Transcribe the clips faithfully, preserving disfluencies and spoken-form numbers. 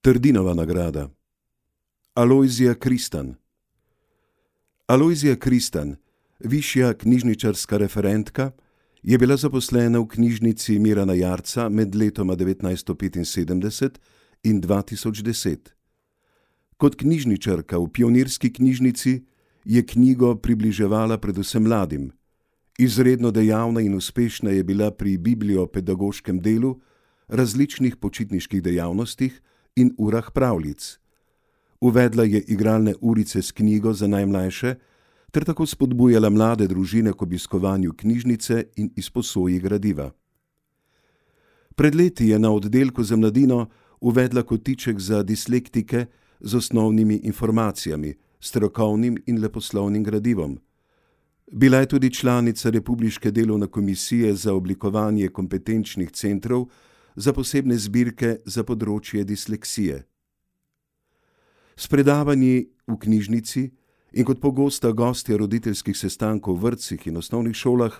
Trdinova nagrada. Alojzija Kristan. Alojzija Kristan, višja knjižničarska referentka, je bila zaposlena v knjižnici Mirana Jarca med letoma devetnajststo petinsedemdeset in dva tisoč deset. Kot knjižničarka v pionirski knjižnici je knjigo približevala predvsem mladim. Izredno dejavna in uspešna je bila pri bibliopedagoškem delu, različnih počitniških dejavnostih in urah pravljic. Uvedla je igralne urice s knjigo za najmlajše ter tako spodbujala mlade družine k obiskovanju knjižnice in izposoji gradiva. Pred leti je na oddelku za mladino uvedla kotiček za dislektike z osnovnimi informacijami, strokovnim in leposlovnim gradivom. Bila je tudi članica Republiške delovne komisije za oblikovanje kompetenčnih centrov za posebne zbirke za področje disleksije. S predavanji v knjižnici in kot pogosta gostja roditeljskih sestankov v vrtcih in osnovnih šolah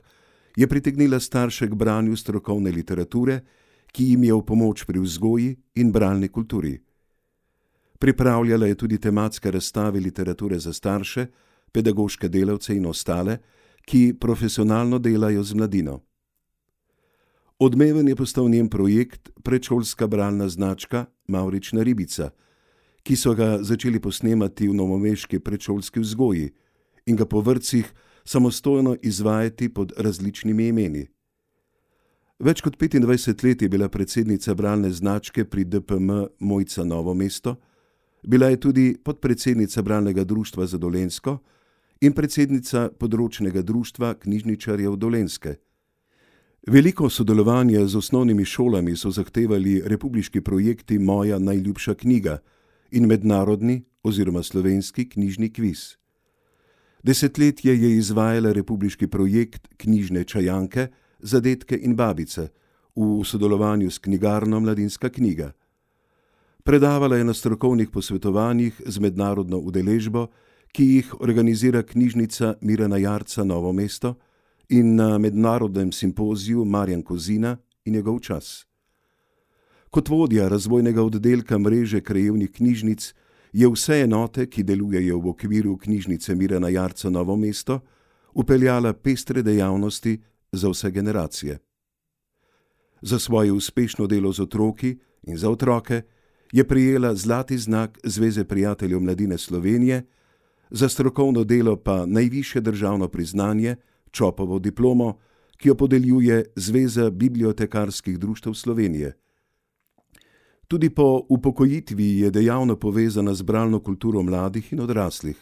je pritegnila starše k branju strokovne literature, ki jim je v pomoč pri vzgoji in bralni kulturi. Pripravljala je tudi tematske razstave literature za starše, pedagoške delavce in ostale, ki profesionalno delajo z mladino. Odmeven je postal njen projekt predšolska bralna značka Mavrična ribica, ki so ga začeli posnemati v novomeški predšolski vzgoji in ga po vrtcih samostojno izvajati pod različnimi imeni. Več kot petindvajset let je bila predsednica bralne značke pri D P M Mojca Novo mesto, bila je tudi podpredsednica bralnega društva za Dolenjsko in predsednica področnega društva knjižničarjev Dolenjske. Veliko sodelovanja z osnovnimi šolami so zahtevali republiški projekti Moja najljubša knjiga in mednarodni oziroma slovenski knjižni kviz. Desetletje je izvajala republiški projekt Knjižne čajanke za dedke in babice v sodelovanju s knjigarno Mladinska knjiga. Predavala je na strokovnih posvetovanjih z mednarodno udeležbo, ki jih organizira knjižnica Mirana Jarca Novo mesto in na mednarodnem simpoziju Marjan Kozina in njegov čas. Kot vodja razvojnega oddelka mreže krajevnih knjižnic je vse enote, ki delujejo v okviru knjižnice Mirana Jarca Novo mesto, upeljala pestre dejavnosti za vse generacije. Za svoje uspešno delo z otroki in za otroke je prejela zlati znak Zveze prijateljev mladine Slovenije, za strokovno delo pa najvišje državno priznanje, Čopovo diplomo, ki jo podeljuje Zveza bibliotekarskih društev Slovenije. Tudi po upokojitvi je dejavno povezana z bralno kulturo mladih in odraslih.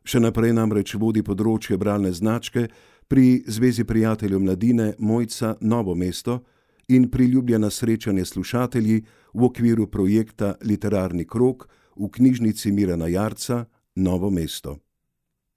Še naprej namreč vodi področje bralne značke pri Zvezi prijateljev mladine Mojca Novo mesto in priljubljena srečanje s slušatelji v okviru projekta Literarni krog v knjižnici Mirana Jarca Novo mesto.